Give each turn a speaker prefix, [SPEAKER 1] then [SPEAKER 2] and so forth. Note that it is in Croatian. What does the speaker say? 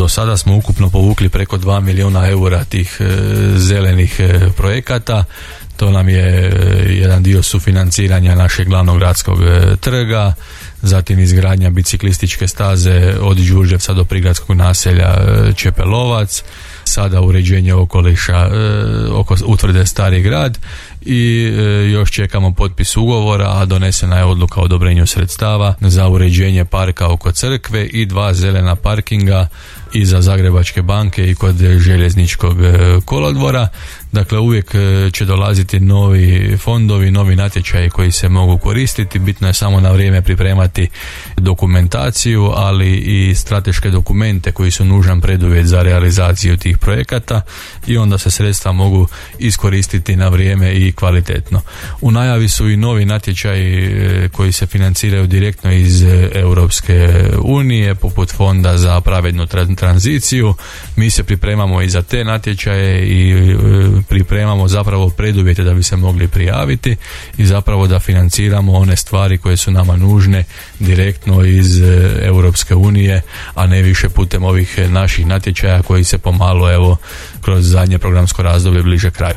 [SPEAKER 1] Do sada smo ukupno povukli preko 2 milijuna eura tih zelenih projekata. To nam je jedan dio sufinanciranja našeg glavnog gradskog trga, zatim izgradnja biciklističke staze od Đurđevca do prigradskog naselja Čepelovac, sada uređenje okoliša oko utvrde Stari grad i još čekamo potpis ugovora, a donesena je odluka o odobrenju sredstava za uređenje parka oko crkve i 2 zelena parkinga iza Zagrebačke banke i kod željezničkog kolodvora. Dakle, uvijek će dolaziti novi fondovi, novi natječaji koji se mogu koristiti. Bitno je samo na vrijeme pripremati dokumentaciju, ali i strateške dokumente koji su nužan preduvjet za realizaciju tih projekata i onda se sredstva mogu iskoristiti na vrijeme i kvalitetno. U najavi su i novi natječaji koji se financiraju direktno iz Europske unije, poput Fonda za pravednu tranziciju. Mi se pripremamo i za te natječaje i pripremamo zapravo preduvjete da bi se mogli prijaviti i zapravo da financiramo one stvari koje su nama nužne direktno iz Europske unije, a ne više putem ovih naših natječaja koji se pomalo kroz zadnje programsko razdoblje bliže kraju.